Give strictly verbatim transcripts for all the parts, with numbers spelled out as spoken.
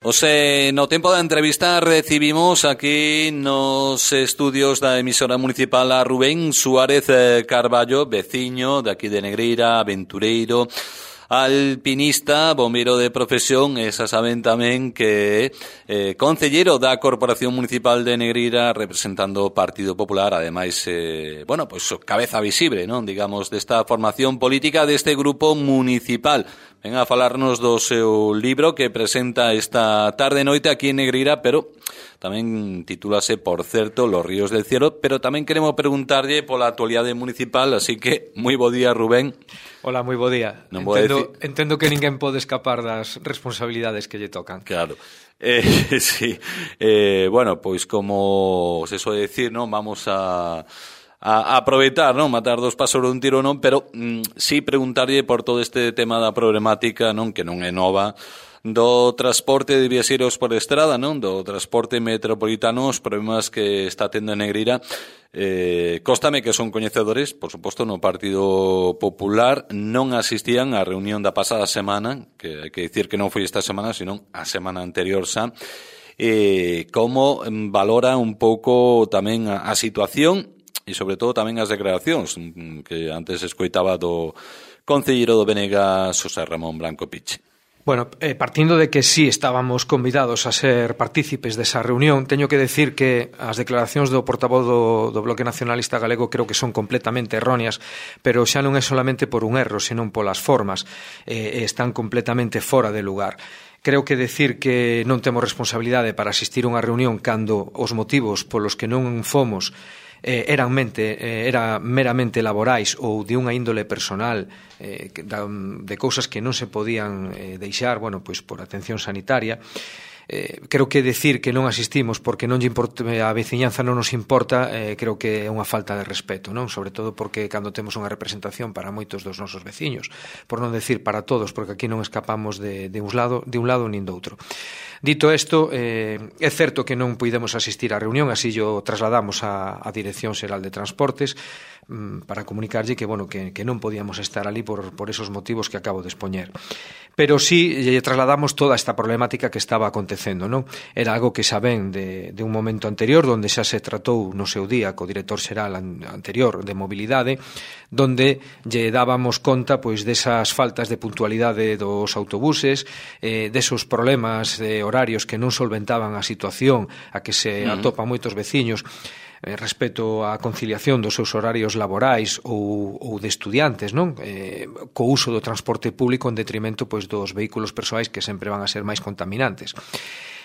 Ose, no tempo da entrevista recibimos aquí nos estudios da emisora municipal a Rubén Suárez Carballo, veciño de aquí de Negreira, aventureiro, alpinista, bombero de profesión, e xa saben tamén que eh, concellero da Corporación Municipal de Negreira representando o Partido Popular, ademais, eh, bueno, pois pues, cabeza visible, non, digamos, desta formación política deste grupo municipal. Ven a falarnos do seu libro que presenta esta tarde e noite aquí en Negreira, pero tamén titúlase, por certo, Los ríos del cielo, pero tamén queremos preguntarlle pola actualidade municipal, así que moi bo día, Rubén. Hola, moi bo día. Non entendo, decir... entendo que ninguén pode escapar das responsabilidades que lle tocan. Claro. Eh, sí. Eh, bueno, pois como se soe decir, non, vamos a... a aproveitar, non, matar dos páxaros dun tiro, non, pero mm, sí preguntarlle por todo este tema da problemática, non, que non é nova, do transporte de viaxeiros por estrada, non, do transporte metropolitano, os problemas que está tendo en Negreira. Eh, cóstame que son coñecedores, por suposto, no Partido Popular non asistían á reunión da pasada semana, que hai que dicir que non foi esta semana, sino a semana anterior xa. Eh, como valora un pouco tamén a, a situación e sobre todo tamén as declaracións que antes escoitaba do concelleiro do Benega, Xosé Ramón Blanco Piche. Bueno, eh, partindo de que sí estábamos convidados a ser partícipes desa reunión, teño que decir que as declaracións do portavoz do, do Bloque Nacionalista Galego creo que son completamente erróneas, pero xa non é solamente por un erro, senón polas formas, eh, están completamente fora de lugar. Creo que decir que non temos responsabilidade para asistir a unha reunión cando os motivos polos que non fomos Eh, eran mente, eh, era meramente laborais ou de unha índole personal, eh, de cousas que non se podían eh, deixar, bueno, pois por atención sanitaria. Eh, creo que decir que non asistimos porque non lle importa, a veciñanza non nos importa, eh, creo que é unha falta de respeto, non? Sobre todo porque cando temos unha representación para moitos dos nosos veciños, por non decir para todos, porque aquí non escapamos de, de, un, lado, de un lado nin do outro. Dito isto, eh, é certo que non puidemos asistir á reunión, así yo trasladamos á, á Dirección Xeral de Transportes mm, para comunicarlle que, bueno, que, que non podíamos estar ali por, por esos motivos que acabo de expoñer. Pero sí lle trasladamos toda esta problemática que estaba acontecendo, non? Era algo que xa ven de, de un momento anterior, donde xa se tratou no seu día co director xeral anterior de mobilidade, donde lle dábamos conta pois desas faltas de puntualidade dos autobuses, eh, desos problemas de horarios que non solventaban a situación a que se uh-huh. atopan moitos veciños eh, respecto á conciliación dos seus horarios laborais ou, ou de estudiantes, non? Eh, co uso do transporte público en detrimento pois dos vehículos persoais que sempre van a ser máis contaminantes.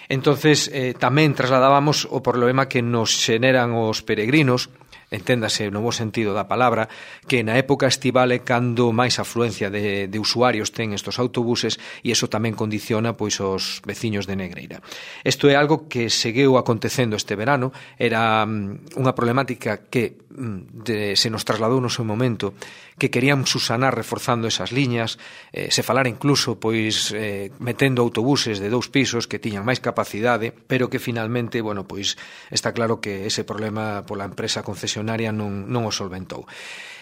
Entonces, eh, tamén trasladábamos o problema que nos xeneran os peregrinos, enténdase no bo sentido da palabra, que na época estival é cando máis afluencia de, de usuarios ten estos autobuses e iso tamén condiciona pois os veciños de Negreira. Isto é algo que seguiu acontecendo este verano, era um, unha problemática que um, de, se nos trasladou no seu momento, que queríamos susanar reforzando esas liñas, eh, se falara incluso pois eh, metendo autobuses de dous pisos que tiñan máis capacidade, pero que finalmente, bueno, pois está claro que ese problema pola empresa concesionaria non, non o solventou.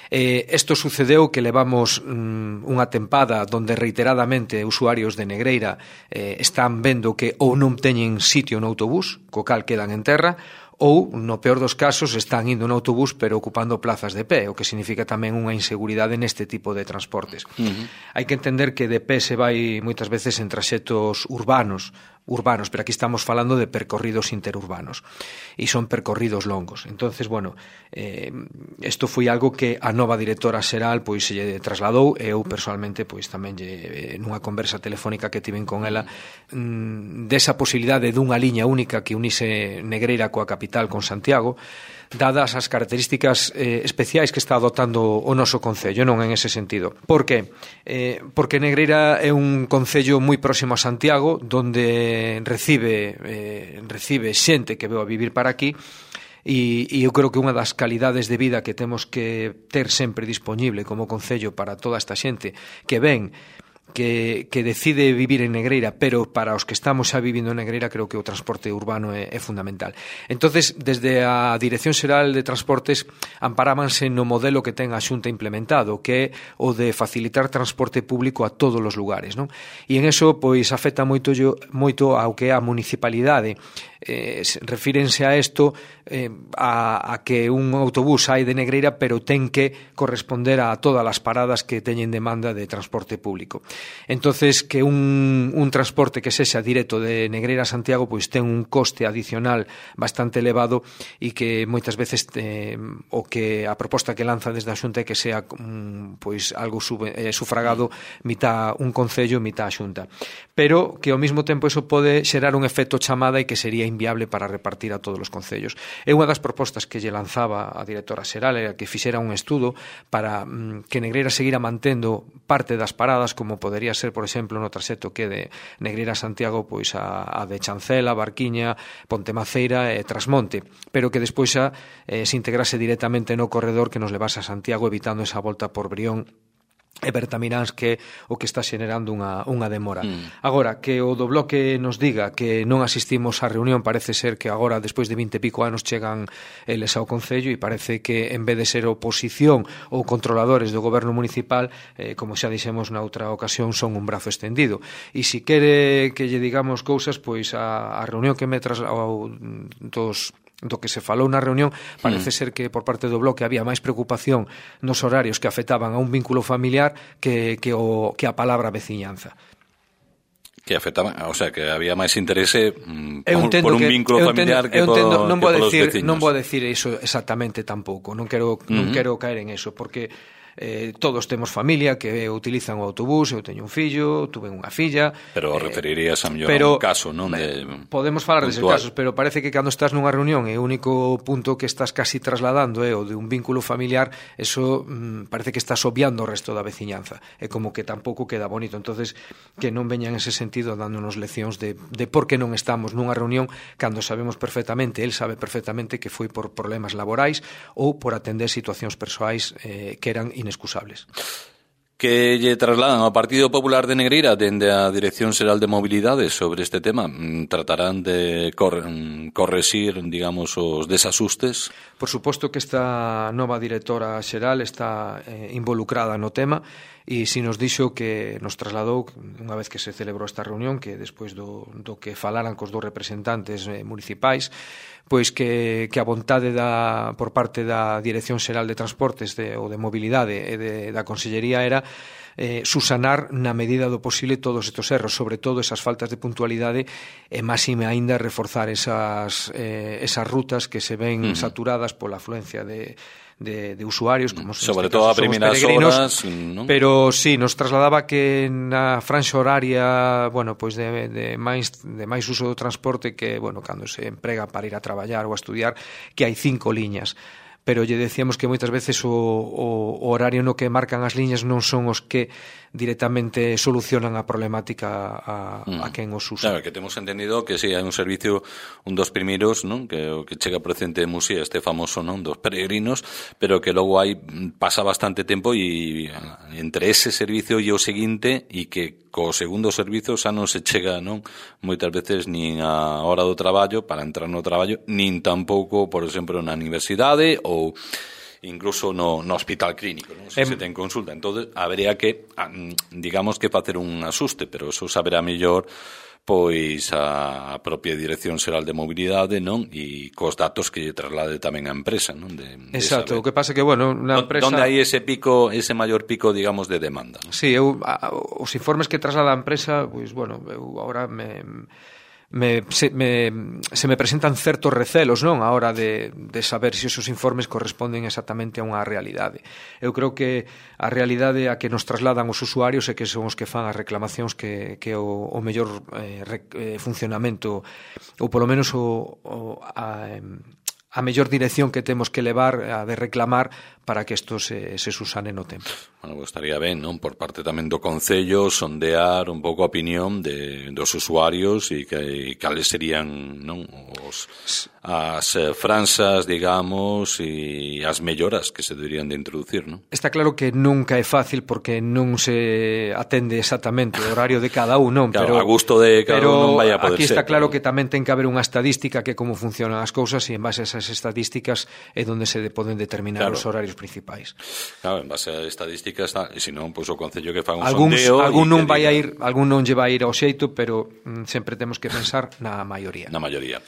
Eh, isto sucedeu que levamos mm, unha tempada donde reiteradamente usuarios de Negreira eh, están vendo que ou non teñen sitio no autobús, co cal quedan en terra, ou, no peor dos casos, están indo no autobús pero ocupando plazas de pé, o que significa tamén unha inseguridade neste tipo de transportes. Uh-huh. Hai que entender que de pé se vai moitas veces en traxetos urbanos, urbanos, pero aquí estamos falando de percorridos interurbanos e son percorridos longos. Entonces, bueno, eh, isto foi algo que a nova directora xeral pois se lle trasladou e eu personalmente pois tamén lle, nunha conversa telefónica que tiven con ela mm, desa posibilidade dunha liña única que unise Negreira coa capital con Santiago, dadas as características eh, especiais que está adoptando o noso concello, non en ese sentido. Por que? Eh, porque Negreira é un concello moi próximo a Santiago, donde recibe eh, recibe xente que veu a vivir para aquí, e, e eu creo que unha das calidades de vida que temos que ter sempre disponible como concello para toda esta xente que ven que, que decide vivir en Negreira, pero para os que estamos xa vivindo en Negreira creo que o transporte urbano é, é fundamental. Entonces, desde a Dirección Xeral de Transportes amparábanse no modelo que ten a Xunta implementado, que é o de facilitar transporte público a todos os lugares, non? E en eso, pois, afecta moito, moito ao que é a municipalidade. Eh, refírense a isto eh, a, a que un autobús sai de Negreira pero ten que corresponder a todas as paradas que teñen demanda de transporte público. Entonces, que un, un transporte que sexa directo de Negreira a Santiago pois ten un coste adicional bastante elevado e que moitas veces eh, o que a proposta que lanza desde a Xunta é que sea um, pois algo sub, eh, sufragado mitad un concello, mitad a Xunta. Pero que ao mesmo tempo eso pode xerar un efecto chamada e que sería inviable para repartir a todos os concellos. É unha das propostas que lle lanzaba a directora xeral era que fixera un estudo para mm, que Negreira seguira mantendo parte das paradas, como podería ser, por exemplo, no traxecto que de Negreira a Santiago, pois a, a de Chancela, Barquiña, Pontemaceira e Trasmonte, pero que despois xa eh, se integrase directamente no corredor que nos levase a Santiago, evitando esa volta por Brión e Bertamiráns, que o que está xenerando unha, unha demora. Mm. Agora, que o do Bloque nos diga que non asistimos á reunión, parece ser que agora, despois de vinte e pico anos, chegan eles ao Concello e parece que, en vez de ser oposición ou controladores do goberno municipal, eh, como xa dixemos na outra ocasión, son un brazo extendido. E se quere que lle digamos cousas, pois a, a reunión que me trasladou dos do que se falou na reunión, parece mm. ser que por parte do Bloque había máis preocupación nos horarios que afectaban a un vínculo familiar que, que, o, que a palabra veciñanza. Que afectaban, o sea, que había máis interese mm, por un que, vínculo familiar que, entendo, por, non que por os decir, veciños. Non vou decir iso exactamente tampouco, non quero, mm-hmm. non quero caer en eso, porque Eh, todos temos familia que utilizan o autobús, eu teño un fillo, tuve unha filla. Pero eh, referirías a mellor pero, a un caso, non? De, podemos falar deses casos, pero parece que cando estás nunha reunión e o único punto que estás casi trasladando é o de un vínculo familiar, eso mm, parece que estás obviando o resto da veciñanza. É como que tampouco queda bonito. Entonces, que non veñan en ese sentido dándonos leccións de, de por que non estamos nunha reunión cando sabemos perfectamente, él sabe perfectamente que foi por problemas laborais ou por atender situacións persoais eh, que eran inexcusables. Que lle trasladan ao Partido Popular de Negreira dende a Dirección Xeral de Mobilidade sobre este tema? Tratarán de cor correxir, digamos, os desasustes? Por suposto que esta nova directora xeral está eh, involucrada no tema e si nos dixo que nos trasladou unha vez que se celebrou esta reunión, que despois do, do que falaran cos dous representantes eh, municipais, pois que, que a vontade da, por parte da Dirección Xeral de Transportes de, ou de Mobilidade e de, da Consellería era eh, susanar na medida do posible todos estes erros, sobre todo esas faltas de puntualidade e máxime aínda reforzar esas, eh, esas rutas que se ven uh-huh. saturadas pola afluencia de De, de usuarios, como sobre todo a primeiras horas, ¿no? Pero sí, nos trasladaba que na franxa horaria, bueno, pois de, de máis de máis uso do transporte que, bueno, cando se emprega para ir a traballar ou a estudiar, que hai cinco liñas. Pero lle decíamos que moitas veces o, o, o horario no que marcan as liñas non son os que directamente solucionan a problemática a, mm. a quen os usa. Claro, que temos entendido que si sí, hai un servicio, un dos primeiros, non? Que o que chega procedente de Muxía, este famoso, non? Dos peregrinos, pero que logo hai pasa bastante tempo e entre ese servicio e o seguinte e que co segundo servizo xa non se chega, non? Moitas veces nin a hora do traballo para entrar no traballo, nin tampouco, por exemplo, na universidade ou incluso no, no hospital clínico, non? Se, eh, se ten consulta. Entón, habería que, digamos que facer un asuste, pero eso saberá mellor pois a propia Dirección Xeral de Mobilidade, non? E cos datos que lle traslade tamén a empresa, non? De, de Exacto, o que pasa que, bueno, na empresa... Donde hai ese pico, ese maior pico, digamos, de demanda? Sí, eu, a, os informes que traslada a empresa, pois, bueno, eu agora me... Me, se, me, se me presentan certos recelos, non, a hora de, de saber se esos informes corresponden exactamente a unha realidade. Eu creo que a realidade a que nos trasladan os usuarios é que son os que fan as reclamacións que, que o, o mellor eh, re, eh, funcionamento ou polo menos o, o, a, a mellor dirección que temos que levar a de reclamar para que isto se, se susane no tempo. Bueno, pues estaría ben, non? Por parte tamén do Concello, sondear un pouco a opinión de, dos usuarios e que e cales serían, non, os, as eh, franzas, digamos, e as melloras que se deberían de introducir, non? Está claro que nunca é fácil porque non se atende exactamente o horario de cada un, non? Claro, Pero, a gusto de cada un non vai a poder aquí está ser, claro pero... que tamén ten que haber unha estadística que como funcionan as cousas e en base a esas estadísticas é onde se poden determinar claro. os horarios principais. Claro, en base a estadísticas, e se non, pois o Concello que faga un Alguns, sondeo... algún non vai diga... a ir, algún non lle vai a ir ao xeito, pero mm, sempre temos que pensar na maioría. Na maioría.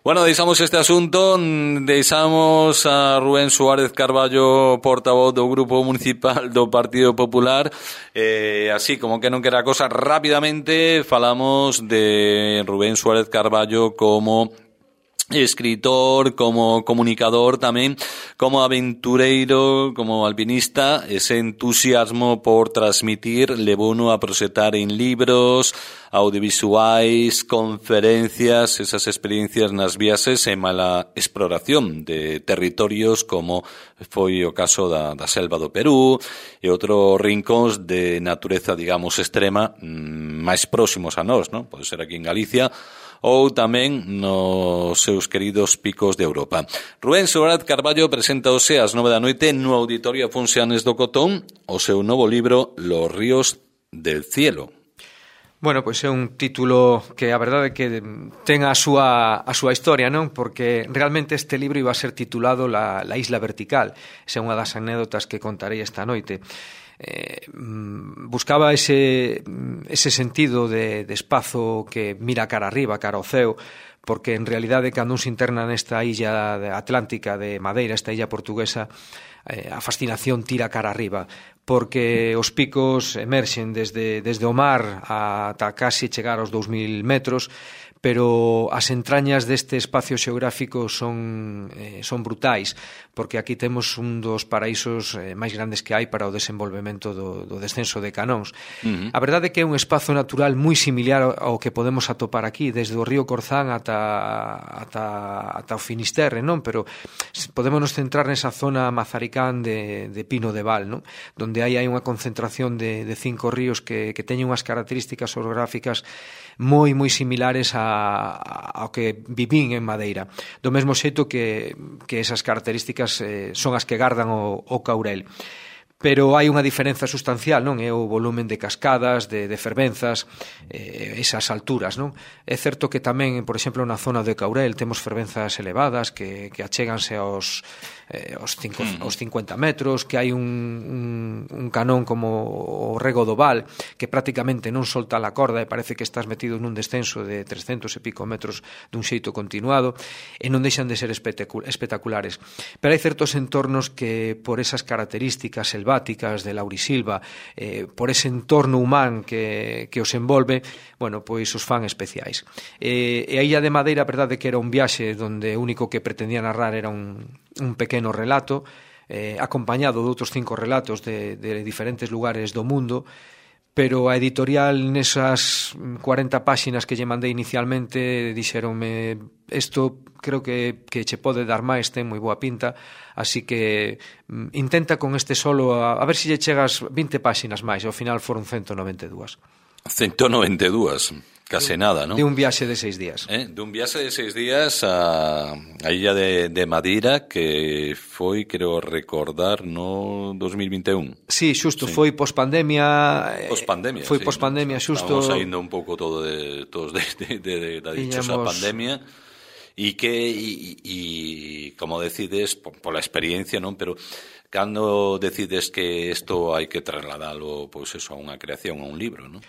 Bueno, deixamos este asunto, deixamos a Rubén Suárez Carballo, portavoz do Grupo Municipal do Partido Popular, eh, así como que non quera cosa, rápidamente falamos de Rubén Suárez Carballo como escritor, como comunicador tamén, como aventureiro, como alpinista. Ese entusiasmo por transmitir levouno a proxectar en libros, audiovisuais, conferencias, esas experiencias nas viaxes e mala exploración de territorios como foi o caso da, da selva do Perú e outros rincóns de natureza, digamos, extrema, máis próximos a nós, non? Pode ser aquí en Galicia ou tamén nos seus queridos picos de Europa. Rubén Suárez Carballo preséntaose ás nove da noite no Auditorio Funciones do Cotón o seu novo libro Los ríos del cielo. Bueno, pois é un título que a verdade é que ten a súa, a súa historia, non? Porque realmente este libro iba a ser titulado La, la Isla Vertical. Esa é unha das anécdotas que contarei esta noite. Eh, buscaba ese, ese sentido de, de espazo que mira cara arriba, cara ao ceo, porque en realidade cando un se interna nesta illa atlántica de Madeira, esta illa portuguesa, eh, a fascinación tira cara arriba, porque os picos emerxen desde, desde o mar ata casi chegar aos dous mil metros, pero as entrañas deste espacio xeográfico son, eh, son brutais, porque aquí temos un dos paraísos eh, máis grandes que hai para o desenvolvemento do, do descenso de canóns. Uh-huh. A verdade é que é un espazo natural moi similar ao que podemos atopar aquí, desde o río Corzán ata, ata, ata o Finisterre, non? Pero podémonos centrar nesa zona mazaricán de, de Pino de Val, non? Donde aí hai unha concentración de, de cinco ríos que, que teñen unhas características orográficas moi, moi similares a, a, ao que vivín en Madeira. Do mesmo xeito que, que esas características eh, son as que gardan o, o Caurel. Pero hai unha diferenza sustancial, non? É o volumen de cascadas, de, de fervenzas, eh, esas alturas, non? É certo que tamén, por exemplo, na zona de Caurel temos fervenzas elevadas que, que achéganse aos, eh, aos, cinco, aos cincuenta metros, que hai un, un, un canón como o Rego do Val, que prácticamente non solta a corda e parece que estás metido nun descenso de trescentos e pico metros dun xeito continuado, e non deixan de ser espectaculares. Pero hai certos entornos que, por esas características selváticas, de laurisilva, eh, por ese entorno humán que, que os envolve, bueno, pois os fan especiais. Eh, e a Illa de Madeira, a verdade que era un viaxe onde o único que pretendía narrar era un, un pequeno relato, eh, acompañado de outros cinco relatos de, de diferentes lugares do mundo, pero a editorial nesas cuarenta páxinas que lle mandei inicialmente dixeronme isto creo que, que che pode dar máis, ten moi boa pinta, así que mm, intenta con este solo a, a ver se lle chegas vinte páxinas máis, ao final foron ciento noventa e dúas. ciento noventa e dúas, case nada, non? De un viaxe de seis días. Eh, de un viaxe de seis días a, a illa de, de Madeira, que foi, creo recordar, no dos mil vinte e un. Sí, xusto, sí. Foi pospandemia. Pospandemia, foi sí. pospandemia, xusto. Estamos saindo un pouco todo de, todos de, de, de, de da dichosa Iñamos... pandemia. E que, e, e, como decides, pola experiencia, non? Pero cando decides que isto hai que trasladalo, pois eso, a unha creación, a un libro, non?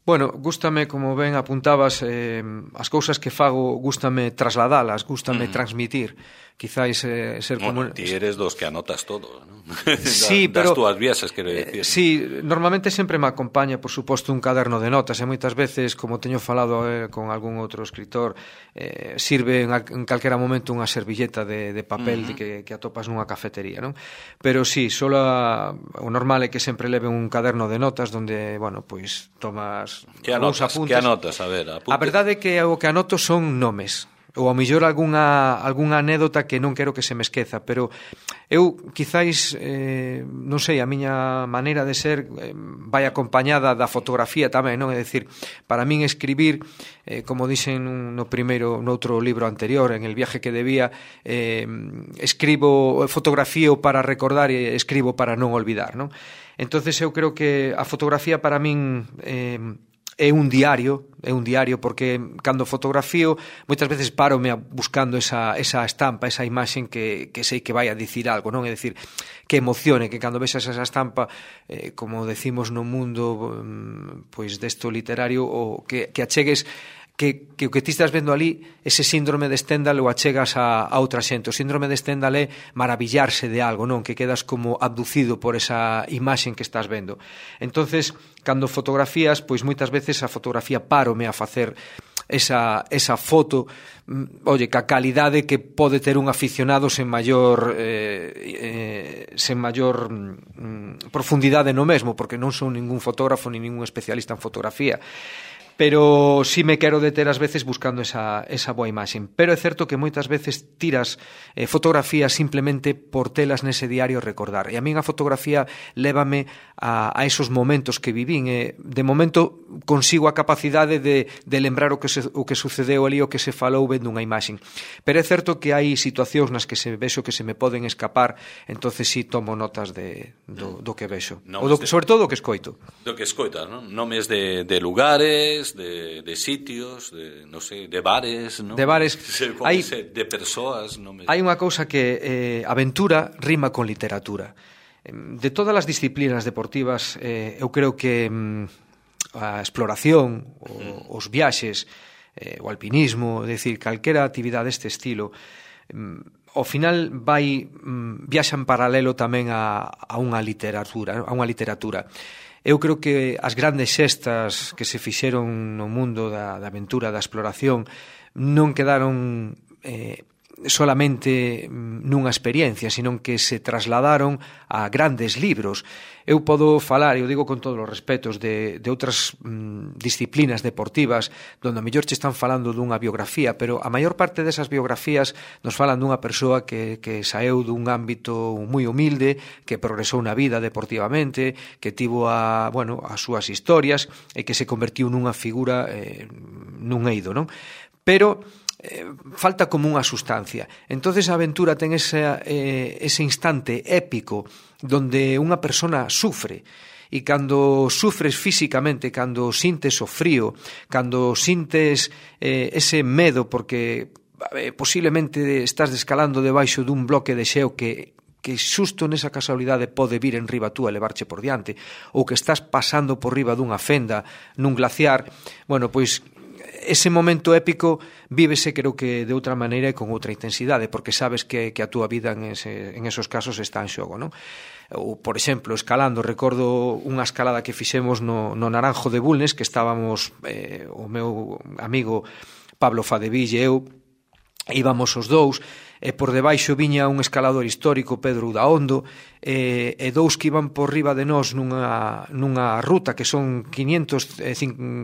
Bueno, gústame, como ben apuntabas, eh, as cousas que fago gústame trasladalas, gústame uh-huh. transmitir. Quizáis eh, ser bueno, como... Ti eres dos que anotas todo, ¿no? Sí, da, pero... Das túas viaxes, quero dicir. Eh, sí, normalmente sempre me acompaña, por suposto, un caderno de notas, e moitas veces, como teño falado eh, con algún outro escritor, eh, sirve en, en calquera momento unha servilleta de, de papel uh-huh. de que, que atopas nunha cafetería, non? Pero sí, solo a, o normal é que sempre leve un caderno de notas donde, bueno, pois tomas... Que anotas? Que anotas? A ver, apuntes. A verdade é que o que anoto son nomes. ou ao mellor algunha, algunha anécdota que non quero que se me esqueza, pero eu quizáis, eh, non sei, a miña maneira de ser eh, vai acompañada da fotografía tamén, non? É dicir, para min escribir, eh, como dixen no primeiro, no outro libro anterior, en El viaje que debía, eh, escribo, fotografío para recordar e escribo para non olvidar, non? Entonces eu creo que a fotografía para min eh, é un diario, é un diario porque cando fotografío moitas veces parome buscando esa, esa estampa, esa imaxen que, que sei que vai a dicir algo, non? É dicir, que emocione, que cando vexas esa estampa, eh, como decimos no mundo pois desto literario, o que, que achegues que, que o que ti estás vendo ali, ese síndrome de Stendhal o achegas a, a outra xente. O síndrome de Stendhal é maravillarse de algo, non? Que quedas como abducido por esa imaxen que estás vendo. Entonces, cando fotografías, pois moitas veces a fotografía parome a facer esa, esa foto, oye, ca calidade que pode ter un aficionado sen maior eh, eh, sen maior mm, profundidade no mesmo, porque non son ningún fotógrafo ni ningún especialista en fotografía, pero sí me quero deter ás veces buscando esa, esa boa imaxen. Pero é certo que moitas veces tiras eh, fotografías simplemente por telas nese diario recordar. E a min a fotografía lévame a, a esos momentos que vivín. E de momento consigo a capacidade de, de lembrar o que, se, o que sucedeu ali, o que se falou vendo unha imaxen. Pero é certo que hai situacións nas que se vexo que se me poden escapar, entonces sí tomo notas de, do, do que vexo. O do, sobre todo do que escoito. Do que escoitas, non? Nomes de, de lugares, De, de sitios, de, no sé, de bares, ¿no? De bares. Hai, de persoas, no me... Hai unha cousa que eh, aventura rima con literatura. De todas as disciplinas deportivas, eh, eu creo que mm, a exploración, o, os viaxes, eh, o alpinismo, é dicir, calquera actividade deste estilo, mm, ao final vai mm, viaxa en paralelo tamén a, a unha literatura, a unha literatura. Eu creo que as grandes xestas que se fixeron no mundo da, da aventura, da exploración, non quedaron eh, solamente nunha experiencia, sino que se trasladaron a grandes libros. Eu podo falar, eu digo con todos os respetos, de, de outras mm, disciplinas deportivas donde a mellor che están falando dunha biografía, pero a maior parte desas biografías nos falan dunha persoa que, que saeu dun ámbito moi humilde, que progresou na vida deportivamente, que tivo a, bueno, as súas historias e que se convertiu nunha figura eh, nun eido, non? Pero eh, falta como unha sustancia. Entonces a aventura ten ese, eh, ese instante épico donde unha persona sufre, e cando sufres físicamente, cando sintes o frío, cando sintes eh, ese medo porque eh, posiblemente estás descalando debaixo dun bloque de xeo que que xusto nesa casualidade pode vir en riba tú e levarche por diante, ou que estás pasando por riba dunha fenda nun glaciar, bueno, pois ese momento épico vívese, creo que de outra maneira e con outra intensidade, porque sabes que, que a túa vida en, ese, en esos casos está en xogo, non? Ou, por exemplo, escalando, recordo unha escalada que fixemos no, no Naranjo de Bulnes, que estábamos eh, o meu amigo Pablo Fadeville e eu, íbamos os dous, e por debaixo viña un escalador histórico, Pedro Udaondo, e, e dous que iban por riba de nós nunha, nunha ruta que son quinientos,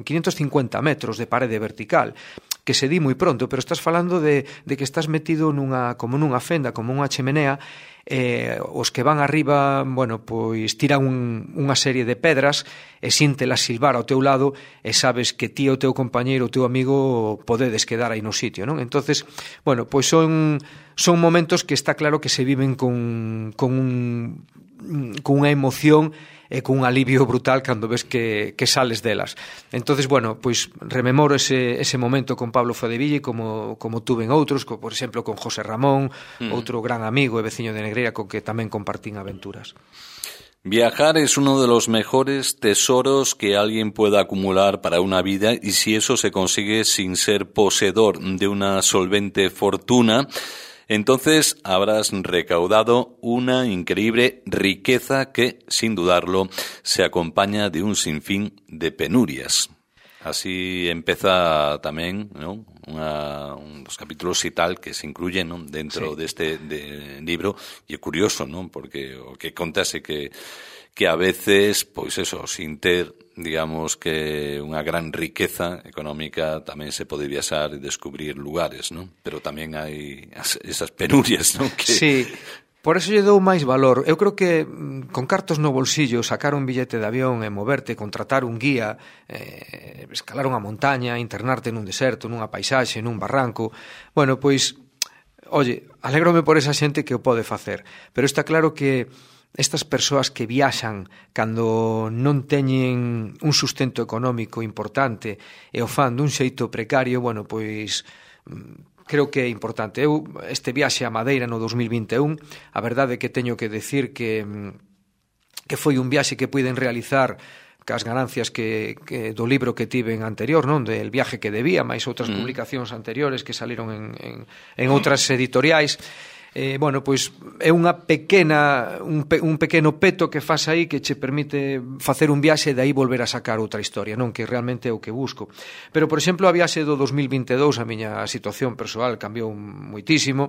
quinientos cincuenta metros de parede vertical, que se di moi pronto, pero estás falando de, de que estás metido nunha, como nunha fenda, como unha chemenea, eh, os que van arriba, bueno, pois tiran un, unha serie de pedras e síntelas silvar ao teu lado e sabes que ti o teu compañeiro, o teu amigo podedes quedar aí no sitio, non? Entonces, bueno, pois son son momentos que está claro que se viven con, con un con unha emoción e con un alivio brutal cando ves que, que sales delas. Entonces, bueno, pois rememoro ese, ese momento con Pablo Fadeville como, como tuve en outros, como, por exemplo, con José Ramón, mm. outro gran amigo e veciño de Negreira con que tamén compartín aventuras. Viajar es uno de los mejores tesoros que alguien pueda acumular para una vida, y si eso se consigue sin ser poseedor de una solvente fortuna, entonces habrás recaudado una increíble riqueza que, sin dudarlo, se acompaña de un sinfín de penurias. Así empeza tamén, ¿no? Una, un dos capítulos e tal que se incluyen, ¿no? Dentro sí. deste de libro, e é curioso, ¿no? Porque o que contase que que a veces, pois eso, sin ter, digamos, que unha gran riqueza económica, tamén se pode viaxar e descubrir lugares, ¿no? Pero tamén hai as, esas penurias, ¿no? Que... Sí. Por eso lle dou máis valor. Eu creo que con cartos no bolsillo, sacar un billete de avión e moverte, contratar un guía, eh, escalar unha montaña, internarte nun deserto, nunha paisaxe, nun barranco, bueno, pois, oye, alégrome por esa xente que o pode facer. Pero está claro que estas persoas que viaxan cando non teñen un sustento económico importante e o fan dun xeito precario, bueno, pois... creo que é importante. Eu, este viaxe a Madeira no dos mil vinte e un, a verdade é que teño que decir que, que foi un viaxe que puiden realizar cas ganancias que, que do libro que tiven anterior, non? Del viaje que debía, máis outras mm. publicacións anteriores que saliron en, en, en outras editoriais. Eh, bueno, pois é unha pequena un, pe, un pequeno peto que faz aí que che permite facer un viaxe e de aí volver a sacar outra historia, non? Que realmente é o que busco. Pero, por exemplo, a viaxe do dos mil vinte e dous, a miña situación persoal cambiou moitísimo,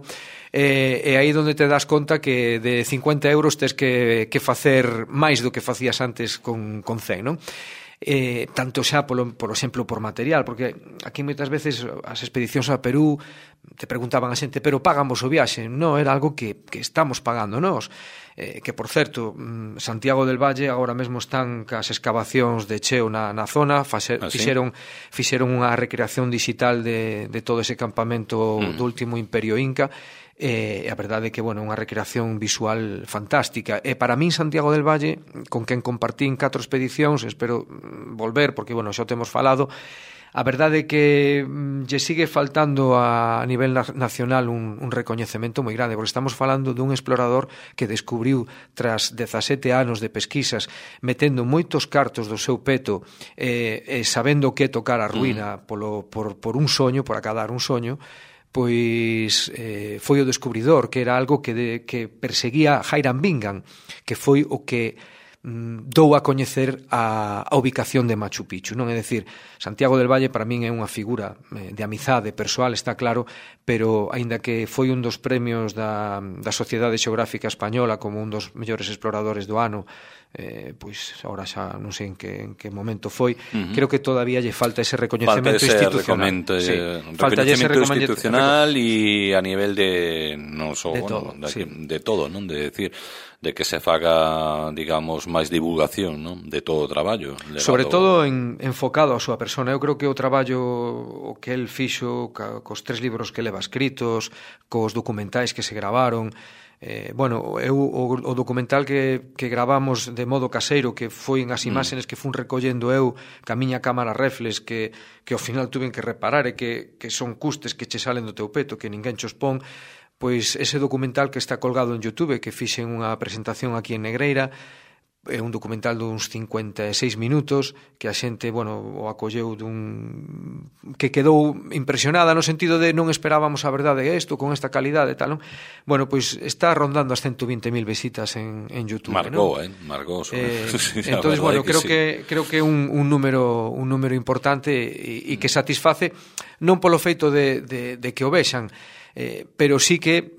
e, e aí onde te das conta que de cincuenta euros tes que, que facer máis do que facías antes con, con cen, non? Eh, tanto xa, polo, por exemplo, por material, porque aquí moitas veces as expedicións a Perú te preguntaban a xente, pero pagamos o viaxe? Non, era algo que, que estamos pagando nós. Eh, que, por certo, Santiago del Valle agora mesmo están cas excavacións de cheo na, na zona, fase, ¿Ah, sí? fixeron, fixeron unha recreación digital de, de todo ese campamento mm. do último Imperio Inca, e a verdade é que, bueno, unha recreación visual fantástica. E para min Santiago del Valle, con quen compartín catro expedicións, espero volver, porque, bueno, xa o temos falado, a verdade é que lle sigue faltando a, a nivel nacional un, un recoñecemento moi grande, porque estamos falando dun explorador que descubriu tras dezasete anos de pesquisas, metendo moitos cartos do seu peto, e, e sabendo que tocar a ruína mm. polo, por, por un soño, por acadar un soño, pois eh, foi o descubridor, que era algo que, de, que perseguía Hiram Bingham, que foi o que mm, dou a coñecer a, a ubicación de Machu Picchu, non? É dicir, Santiago del Valle para min é unha figura eh, de amizade persoal, está claro, pero aínda que foi un dos premios da, da Sociedade Xeográfica Española como un dos mellores exploradores do ano, eh, pois agora xa non sei en que, en que momento foi, uh-huh. creo que todavía lle falta ese recoñecemento falta ese institucional. Sí, falta ese recoñecemento institucional e a nivel de non só, de, bueno, todo, de, sí. de todo, non? De decir, de que se faga, digamos, máis divulgación, non? De todo o traballo. Legado... Sobre todo en, enfocado á súa persona. Eu creo que o traballo o que el fixo ca, cos tres libros que leva escritos, cos documentais que se gravaron, Eh, bueno, eu o, o documental que, que gravamos de modo caseiro, que foi as imaxenes que fun recollendo eu ca miña cámara reflex, que, que ao final tuven que reparar e que, que son custes que che salen do teu peto, que ninguén chos pon, pois ese documental que está colgado en YouTube, que fixen unha presentación aquí en Negreira, é un documental duns cincuenta e seis minutos que a xente, bueno, o acolleu dun... que quedou impresionada no sentido de non esperábamos a verdade isto con esta calidade e tal, non? Bueno, pois está rondando as ciento vinte mil visitas en, en YouTube, Marcou, ¿no? eh? Marcou, eh, entonces, bueno, que creo sí. que creo que é un, un número un número importante e, e que satisface non polo feito de, de, de que o vexan, Eh, pero sí que,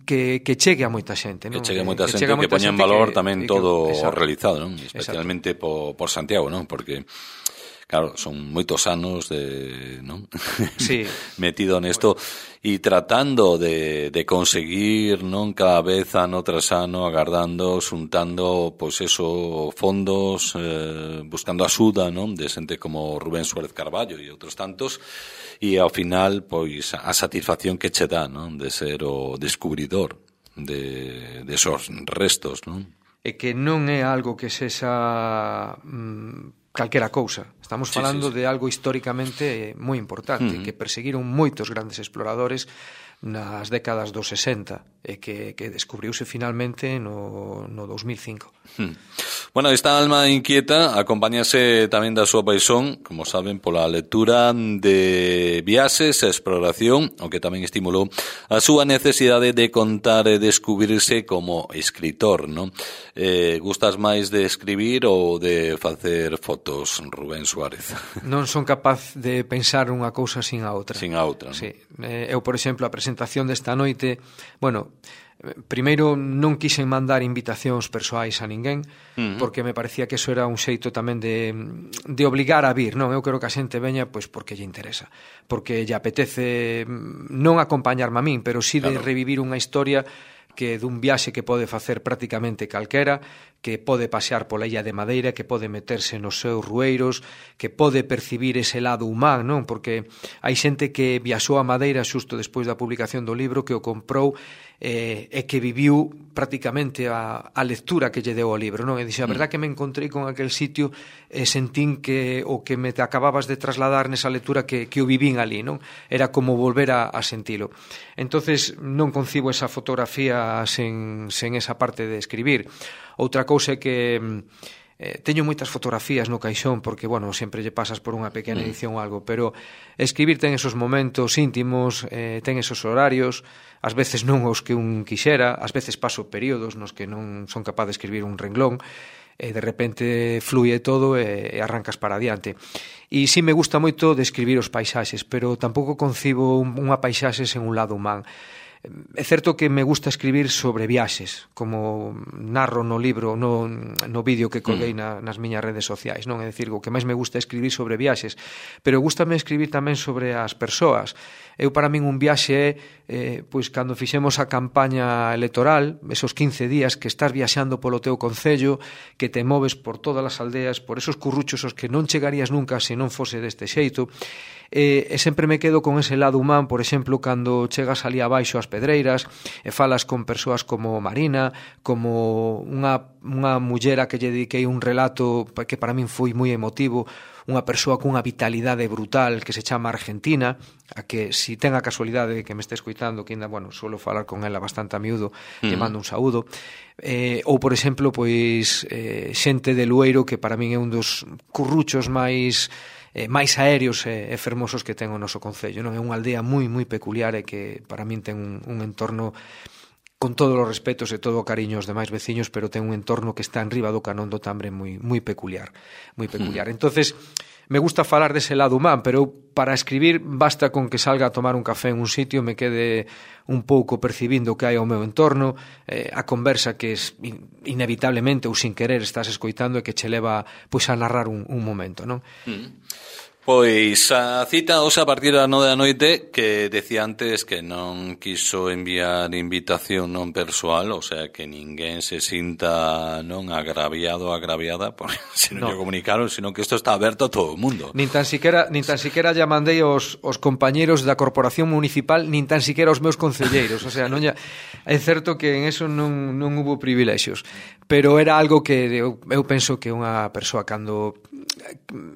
que que chegue a moita xente, non? Que chegue a moita xente, que, que poña en valor que, tamén que, todo exacto, realizado, non? Especialmente por, por Santiago, non? Porque claro, son moitos anos de, non? Sí. metido nesto e tratando de, de conseguir, non, cada vez ano tras ano, agardando, xuntando, pois eso, fondos, eh, buscando axuda, non, de xente como Rubén Suárez Carballo e outros tantos, e ao final, pois, a satisfacción que che dá, non, de ser o descubridor de, de esos restos, non? E que non é algo que sexa mm, calquera cousa. Estamos falando sí, sí, sí. de algo históricamente moi importante, uh-huh. que perseguiron moitos grandes exploradores nas décadas dos sesenta e que, que descubriuse finalmente no, no dos mil cinco. Hmm. Bueno, esta alma inquieta acompáñase tamén da súa paixón, como saben, pola lectura de viaxes e exploración, o que tamén estimulou a súa necesidade de contar e descubrirse como escritor, non? Eh, gustas máis de escribir ou de facer fotos? datos, Rubén Suárez. Non son capaz de pensar unha cousa sin a outra. Sin a outra, non? Sí. Eu, por exemplo, a presentación desta noite, bueno, primeiro non quixen mandar invitacións persoais a ninguén, uh-huh. porque me parecía que eso era un xeito tamén de, de obligar a vir, non? Eu quero que a xente veña pois porque lle interesa, porque lle apetece non acompañarme a min, pero sí de claro. revivir unha historia que dun viaxe que pode facer prácticamente calquera, que pode pasear pola illa de Madeira, que pode meterse nos seus rueiros, que pode percibir ese lado humán, non? Porque hai xente que viaxou a Madeira xusto despois da publicación do libro, que o comprou eh, e que viviu prácticamente a, a lectura que lle deu ao libro, non? E dixe, a verdad que me encontrei con aquel sitio e sentín que o que me te acababas de trasladar nesa lectura que, que o vivín ali, non? Era como volver a, a sentilo. Entonces non concibo esa fotografía sen, sen esa parte de escribir. Outra cousa é que eh, teño moitas fotografías no caixón porque, bueno, sempre lle pasas por unha pequena edición ou algo, pero escribir ten esos momentos íntimos, eh, ten esos horarios, ás veces non os que un quixera, ás veces paso períodos nos que non son capaz de escribir un renglón, e de repente fluye todo e, e arrancas para adiante. E sí me gusta moito de escribir os paisaxes, pero tampouco concibo unha paisaxe sen un lado humán. É certo que me gusta escribir sobre viaxes, como narro no libro, no, no vídeo que colguei na, nas miñas redes sociais, non? É dicir, o que máis me gusta é escribir sobre viaxes, pero gústame escribir tamén sobre as persoas. Eu, para min, un viaxe é, eh, pois, cando fixemos a campaña electoral, esos quince días que estás viaxando polo teu concello, que te moves por todas as aldeas, por esos curruchos aos que non chegarías nunca se non fose deste xeito, e, e sempre me quedo con ese lado humán, por exemplo, cando chegas ali abaixo ás Pedreiras e falas con persoas como Marina, como unha, unha mullera que lle dediquei un relato que para min foi moi emotivo, unha persoa cunha vitalidade brutal que se chama Argentina, a que si ten a casualidade que me este escoitando, que ainda, bueno, suelo falar con ela bastante a miúdo, mm. lle mando un saúdo, eh, ou, por exemplo, pois eh, xente de Lueiro, que para min é un dos curruchos máis eh, máis aéreos e, e fermosos que ten o noso concello, non? É unha aldea moi, moi peculiar e que para min ten un, un entorno con todos os respetos e todo o cariño aos demais veciños, pero ten un entorno que está en riba do Canón do Tambre moi, moi peculiar, moi peculiar. Mm. Entonces, me gusta falar dese lado humán, pero para escribir basta con que salga a tomar un café en un sitio, me quede un pouco percibindo o que hai ao meu entorno, eh, a conversa que es inevitablemente ou sin querer estás escoitando e que che leva pois a narrar un, un momento, non? Mm. Pois a cita hoxe a partir da nove da noite, que decía antes que non quiso enviar invitación non persoal, o sea que ninguén se sinta non agraviado, agraviada, porque se non no. lle comunicaron, sino que isto está aberto a todo o mundo. Nin tan siquiera, nin tan siquiera lle mandei os, os compañeros da Corporación Municipal, nin tan siquiera os meus concelleiros, o sea, non lle... é certo que en eso non, non hubo privilexios, pero era algo que eu, eu penso que unha persoa cando...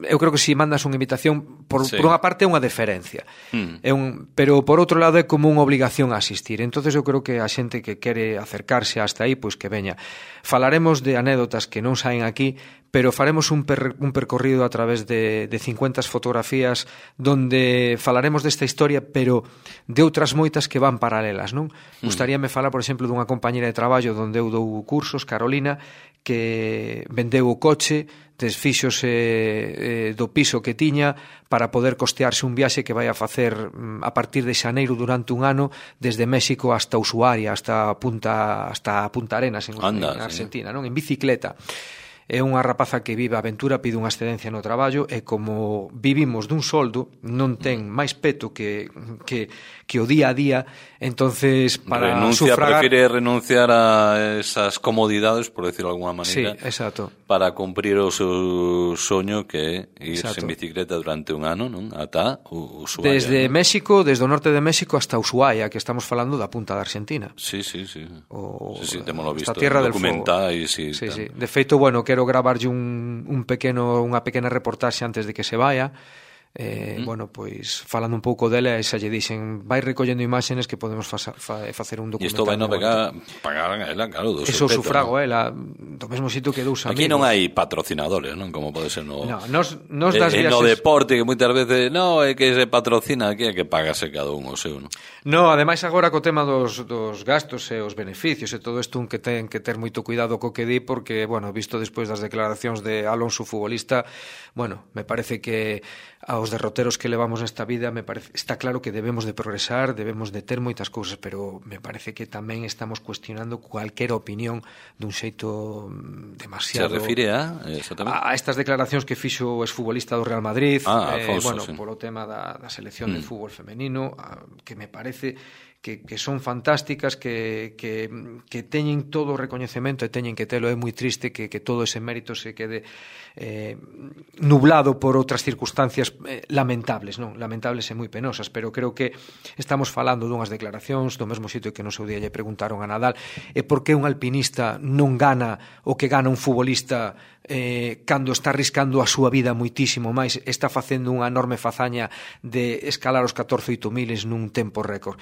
eu creo que se si mandas unha invitación por, sí. por unha parte é unha deferencia mm. é un, pero por outro lado é como unha obligación a asistir, entonces eu creo que a xente que quere acercarse hasta aí, pois que veña. Falaremos de anécdotas que non saen aquí, pero faremos un, per, un percorrido a través de, de cincuenta fotografías donde falaremos desta historia, pero de outras moitas que van paralelas, non? Mm. Gustaríame falar, por exemplo, dunha compañera de traballo donde eu dou cursos, Carolina, que vendeu o coche, desfíxose eh, do piso que tiña para poder costearse un viaxe que vai a facer a partir de xaneiro durante un ano desde México hasta Ushuaia, hasta Punta, hasta Punta Arenas en, Anda, en Argentina, sí. non? En bicicleta. É unha rapaza que vive a aventura, pide unha excedencia no traballo e como vivimos dun soldo, non ten máis peto que, que, que o día a día, entonces para Renuncia, sufragar... prefire renunciar a esas comodidades, por decirlo de alguna maneira, sí, exacto. para cumprir o seu soño que é irse exacto. en bicicleta durante un ano, non? Ata Ushuaia. Desde ¿no? México, desde o norte de México hasta Ushuaia, que estamos falando da punta da Argentina. Sí, sí, sí. O, sí, sí, temoslo visto. Esta tierra del documental e sí, sí, sí. De feito, bueno, quero gravarlle un, un pequeno, unha pequena reportaxe antes de que se vaya, Eh, mm. Bueno, pois falando un pouco dela, xa lle dixen, vai recollendo imágenes que podemos fa, fa, facer un documental. E isto vai no pegar, pagar a ela, claro, do eso seu peto, sufrago, ¿no? ela, do mesmo sitio que dous amigos. Aquí non hai patrocinadores, non? Como pode ser no... No, nos, nos das eh, viaxes... no deporte, que moitas veces, no, é que se patrocina, aquí é que pagase cada un o seu, non? No, ademais agora co tema dos, dos gastos e os beneficios e todo isto un que ten que ter moito cuidado co que di, porque, bueno, visto despois das declaracións de Alonso, futbolista, bueno, me parece que aos derroteros que levamos nesta vida, me parece, está claro que debemos de progresar, debemos de ter moitas cousas, pero me parece que tamén estamos cuestionando cualquier opinión dun xeito demasiado... Se refire a, exactamente, a estas declaracións que fixo o exfutbolista do Real Madrid, ah, eh, Alfonso, bueno, sí. polo tema da, da selección mm. de fútbol femenino, a, que me parece que, que son fantásticas, que, que, que teñen todo o recoñecemento e teñen que telo. É moi triste que, que todo ese mérito se quede eh, nublado por outras circunstancias eh, lamentables, non? Lamentables e moi penosas, pero creo que estamos falando dunhas declaracións do mesmo sitio que no seu día lle preguntaron a Nadal e por que un alpinista non gana o que gana un futbolista eh, cando está arriscando a súa vida moitísimo máis, está facendo unha enorme fazaña de escalar os catorce oito miles nun tempo récord.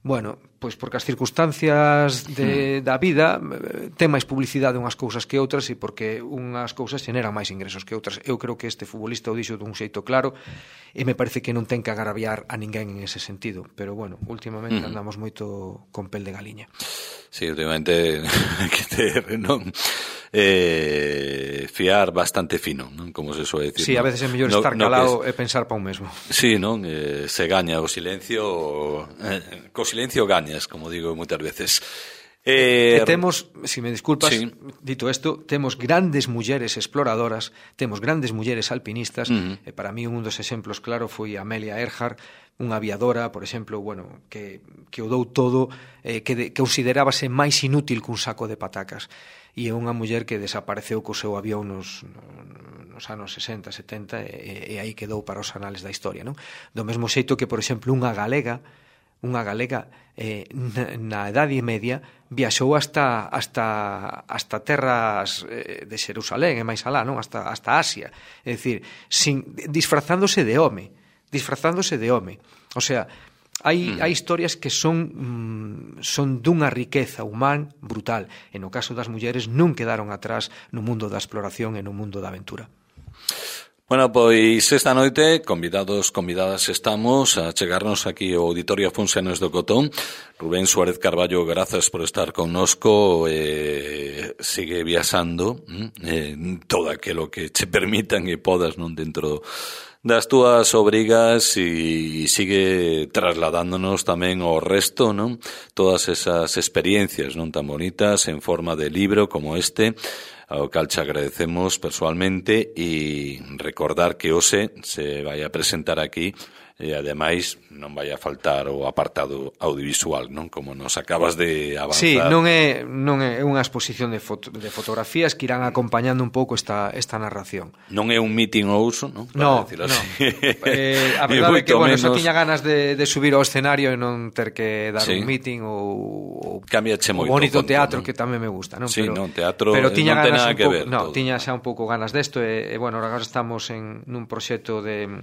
Bueno, pois porque as circunstancias de, da vida ten máis publicidade unhas cousas que outras e porque unhas cousas xeneran máis ingresos que outras. Eu creo que este futbolista o dixo dun xeito claro e me parece que non ten que agraviar a ninguén en ese sentido, pero bueno, últimamente andamos moito con pel de galiña. Sí, últimamente que ter, non? Eh, fiar bastante fino, non? Como se suele decir. Sí, ¿no? A veces é mellor no, estar calado no es... e pensar pa un mesmo. Sí, non? Eh, se gaña o silencio, eh, co silencio gañas, como digo moitas veces. Eh, e temos, se si me disculpas, sí. Dito isto, temos grandes mulleres exploradoras, temos grandes mulleres alpinistas, uh-huh. e para mí un dos exemplos claro foi Amelia Earhart, unha aviadora, por exemplo, bueno, que, que o dou todo, eh, que, de, que considerábase máis inútil que un saco de patacas. E é unha muller que desapareceu co seu avión nos, nos anos sesenta, setenta e, e aí quedou para os anales da historia, non? Do mesmo xeito que, por exemplo, unha galega unha galega eh, na, na Edade Media viaxou hasta hasta hasta terras eh, de Xerusalén e máis alá, non? Hasta hasta Asia, é dicir, sin disfrazándose de home, disfrazándose de home. O sea, hai hai historias que son mm, son dunha riqueza humana brutal. E no caso das mulleres non quedaron atrás no mundo da exploración e no mundo da aventura. Bueno, pois esta noite, convidados, convidadas estamos a chegarnos aquí ao Auditorio Afonso Enes do Cotón. Rubén Suárez Carballo, grazas por estar connosco, eh, sigue viaxando eh, todo aquilo que che permitan e podas, non, dentro das túas obrigas, e sigue trasladándonos tamén ao resto, non, todas esas experiencias non tan bonitas en forma de libro como este, ao cal te agradecemos personalmente, e recordar que hoxe se vai a presentar aquí e ademais non vai a faltar o apartado audiovisual, non? Como nos acabas de avanzar. Sí, non é non é unha exposición de, foto, de fotografías que irán acompañando un pouco esta esta narración. Non é un meeting ou uso, non? No, no. eh, a verdade é que, bueno, menos... só tiña ganas de, de subir ao escenario e non ter que dar sí. un meeting ou, ou cambiache moito. O bonito conto, teatro, non? Que tamén me gusta, non? Sí, pero, non, teatro pero tiña non ten ganas nada que pouco, ver. No, todo. tiña xa un pouco ganas desto e, e bueno, agora estamos en nun proxecto de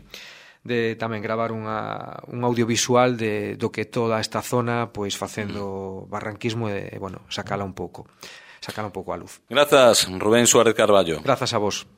de tamén gravar unha, un audiovisual de, do que toda esta zona pois facendo barranquismo e, bueno, sacala un pouco sacala un pouco a luz. Grazas, Rubén Suárez Carballo. Grazas a vos.